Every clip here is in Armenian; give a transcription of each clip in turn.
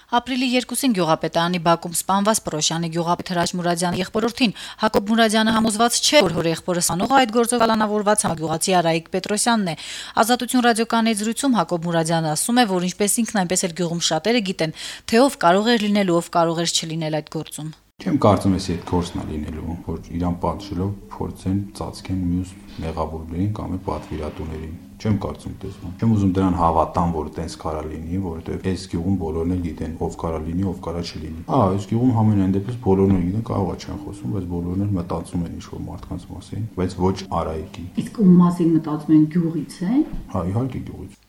Ապրիլի 2-ին Գյուղապետարանի բակում սպանված Պրոշյանի գյուղապետ Հրաչ Մուրադյանի եղբորորդին Հակոբ Մուրադյանը համոզված չէ, որ հոր եղբորը սպանողը այդ գործով կալանավորված համագյուղացի Արայիկ Պետրոսյանն է։ Ազատություն ռադիոկայանի զրույցում Հակոբ Մուրադյանը ասում է, որ ինչպես ինքն այնպես էլ գյուղում շատերը գիտեն, թե ով կարող էր լինել ու ով կարող էր չլինել այդ գործում։ Չեմ կարծում ես այդ գործն է լինելու, որ իրան պատժելով փորձեն ծածկեն մյուս մեղավորներին կամ պատվիրատուներին։ Չեմ կարծում տեսնում։ Չեմ ուզում դրան հավատամ, որ տենց կարա լինի, որովհետև այս գյուղում բոլորն էլ գիտեն ով կարա լինի, ով կարա չլինի։ Այս գյուղում համենայն դեպս բոլորն էլ գիտեն, կարող է չեն խոսում, բայց բոլորն էլ մտածում են ինչ-որ մարդկանց մասին, բայց ոչ Արայիկի։ Իսկ ում մասին մտածում են, գյուղից է։ Իհարկե գյուղից։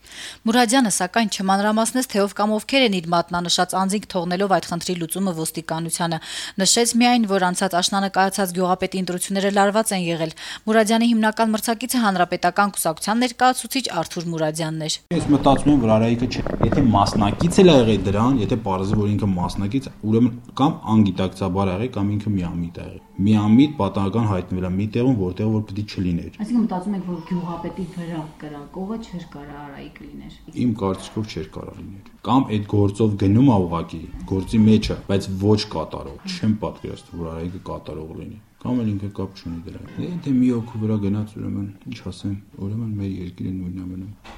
Մուրադյանը սակայն չմանրամասնեց, թե ով կամ ովքեր են իր մատնանշած անձինք թողնելով այդ խնդրի լուծումը ոստիկանությանը։ Նշեց միայն, որ անցած աշնանը կայացած գյուղապետի ընտրությունները լարված են եղել։ Մուրադյանի հիմնական մրցակիցը հանրապետական կուսակցության ներկայացուցիչ Արթուր Մուրադյանն էր։ Ես մտածում եմ, որ Արայիկը չէ։ Եթե մասնակից էլ ա եղել դրան, եթե պարզվի, որ ինքը մասնակից, ուրեմն կամ անգիտակցաբար ա եղել, կամ ինքը միամիտ ա եղել։ Միամիտ պատահական հայտնվել է մի տեղում, որտեղ որ պետք է չլիներ։ Այսինքն մտածում եք, որ գյուղապետի վրա կրակողը չէր կարա Արայիկ լիներ։ Իմ կարծիքով չէր կարա լիներ։ Կամ այդ գործով գնում ա ուղակի գործի մեջը, բայց ոչ կատարող։ Չեմ պատկերացնում, որ Արայիկը կատարող լինի։ Կամ էլ ինքը կապ չունի դրան։ Եթե մի օքի վրա գնաց, ուրեմն ինչ ասեմ, ուրեմն մեր երկիրը նույնն է մնում։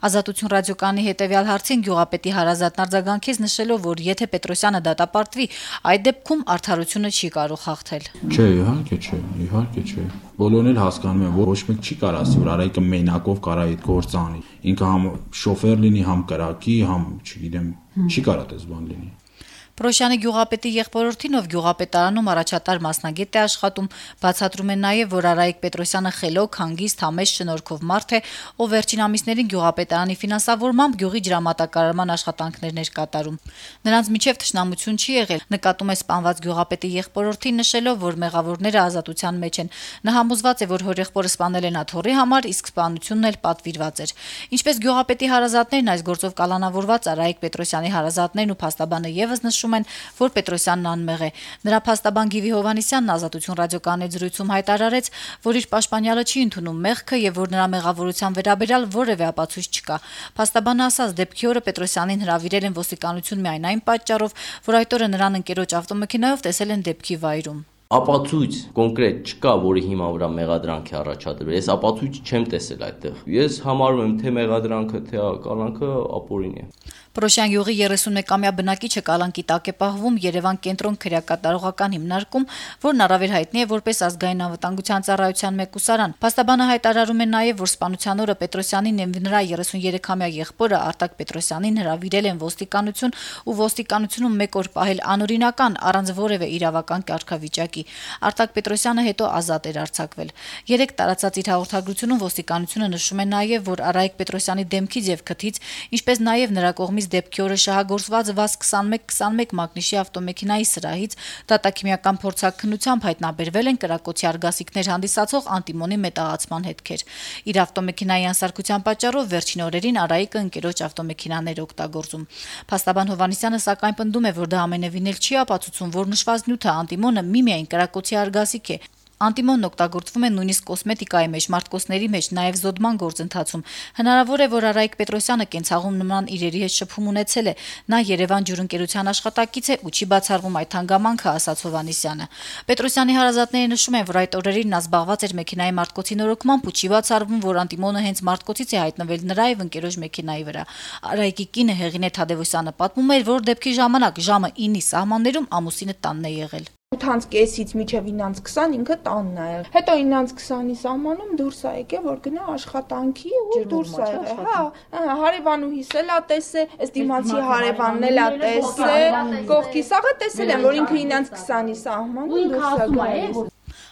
Ազատություն ռադիոկայանի հետևյալ հարցին գյուղապետի հարազատն արձագանքեց նշելով, որ եթե Պետրոսյանը դատապարտվի, այդ դեպքում արդարությունը չի կարող հաղթել։ Չէ, իհարկե չէ։ Բոլորն էլ հասկանում են, որ ոչ մեկ չի կարող ասի, որ Արայիկը մենակով կարա այդ գործը անի։ Ինքը համ շոֆեր լինի, համ կրակի, համ, չգիտեմ, չի կարա այդպես բան լինի։ Պրոշյանի գյուղապետի եղբորորդին, ով գյուղապետարանում առաջատար մասնագետ է աշխատում, բացատրում է նաև, որ Արայիկ Պետրոսյանը խելոք, հանգիստ, համեստ, շնորհքով մարդ է, ով վերջին ամիսներին գյուղապետարանի ֆինանսավորմամբ գյուղի ջրամատակարարման աշխատանքներն էր կատարում։ Նրանց միջև թշնամություն չի եղել, նկատում է սպանված գյուղապետի եղբորորդին նշելով, որ մեղավորները ազատության մեջ են։ Նա համոզված է, որ հոր եղբորը սպանել են աթոռի համար, իսկ սպանությունն էլ պատվիրված էր։ Ինչպես գյուղապետի հարազատներն այս գործով կալանավորված Արայիկ Պետրոսյանի հարազատներն ու փաստաբանը եւս նշում են, որ Պետրոսյանն անմեղ է։ Նրա փաստաբան Գիվի Հովհաննիսյանն Ազատություն ռադիոկայանի զրույցում հայտարարեց, որ իր պաշտպանյալը չի ընդունում մեղքը եւ որ նրա մեղավորության վերաբերյալ որևէ ապացույց չկա։ Փաստաբանը ասաց, դեպքի օրը Պետրոսյանին հրավիրել են ոստիկանություն միայն այն պատճառով, որ այդ օրը նրան ընկերոջ ավտոմեքենայով տեսել են դեպքի վայրում։ Ապացույց կոնկրետ չկա, որի հիման վրա մեղադրանք է առաջադրվել։ Ես ապացույց չեմ տեսել այդտեղ։ Ես համարում եմ թե մեղադրանքը, թե կալանքը ապօրինի է։ Պրոշյան յուղի 31-ամյա բնակիչը կալանքի տակ է պահվում Երևան կենտրոն քրեակատարողական հիմնարկում, որն առավել հայտնի է որպես ազգային անվտանգության ծառայության մեկուսարան։ Փաստաբանը հայտարարում է նաև, որ սպանության օրը Պետրոսյանին եւ նրա 33-ամյա եղբորը Արտակ Պետրոսյանին հրավիրել են ոստիկանություն ու ոստիկանությունում 1 օր պահել անօրինական առանց որևէ իրավական կարգավիճակի։ Արտակ Պետրոսյանը հետո ազատ էր արձակվել։ Երեք տարածած իր հաղորդագրությունում ոստիկանությունը նշում է նաև, որ Արայիկ Պետրոսյանի դեմքից եւ քթից, ինչպես նաև նրա կողմից դեպքի օրը շահագործված ՎԱԶ 2121 մագնիշի ավտոմեքենայի սրահից դատաքիմիական փորձաքննությամբ հայտնաբերվել են կրակոցի արգասիքներ հանդիսացող անտիմոնի մետաղացման հետքեր։ Իր ավտոմեքենայի անսարքության պատճառով վերջին օրերին Արայիկը ընկերոջ ավտոմեքենաներ օգտագործում։ Փաստաբան Հովհաննիսյանը սակայն պնդում է, որ դա ամենևին էլ չի ապացուցում, որ նշված նյութը անտիմոնը միմիայն կրակոցի արգասիք է։ Անտիմոնն օգտագործվում է նույնիսկ կոսմետիկայի մեջ, մարտկոցների մեջ, նաև զոդման գործընթացում։ Հնարավոր է, որ Արայիկ Պետրոսյանը կենցաղում նման իրերի հետ շփում ունեցել է։ Նա Երևան ջուրընկերության աշխատակից է ու չի բացառվում այդ հանգամանքը, ասաց Հովհաննիսյանը։ Պետրոսյանի հարազատները նշում են, որ այդ օրերին նա զբաղված էր մեքենայի մարտկոցի նորոգմամբ ու չի բացառվում, որ անտիմոնը հենց մարտկոցից է հայտնվել նրա եւ ընկերոջ մեքենայի վրա։ Արայիկի կինը Հեղինե Թադևոսյանը պատմում էր, որ դեպքի ժամանակ ժամը 9-ի սահմաններում ամուսինը տանն է եղել։ 8:30-ից մինչև 9:20 ինքը տանն է եղել։ Հետո 9:20-ի սահմանում դուրս ա եկել, որ գնա աշխատանքի ու դուրս ա եղել։ Հա, հարևանուհիս էլ ա տեսել, այս դիմացի հարևանն էլ ա տեսել, կողքի սաղը տեսել են, որ ինքը 9:20-ի սահմանում դուրս ա գալիս։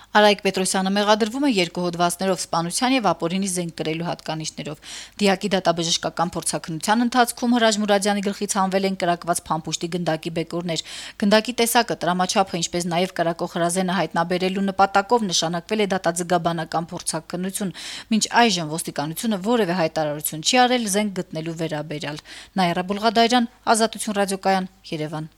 Արայիկ Պետրոսյանը մեղադրվում է 2 հոդվածներով սպանության եւ ապօրինի զենք կրելու հատկանիշներով։ Դիակի դատաբժշկական փորձաքննության ընթացքում Հրաչ Մուրադյանի գլխից հանվել են կրակված փամփուշտի գնդակի բեկորներ։ Գնդակի տեսակը, տրամաչափը, ինչպես նաեւ կրակող հրազենը հայտնաբերելու նպատակով նշանակվել է դատաձգաբանական փորձաքննություն։ Մինչ այժմ ոստիկանությունը որևէ հայտարարություն չի արել զենք գտնելու վերաբերյալ։ Նաիրա Բուլղադարյան, Ազատություն ռադիոկայան, Երևան։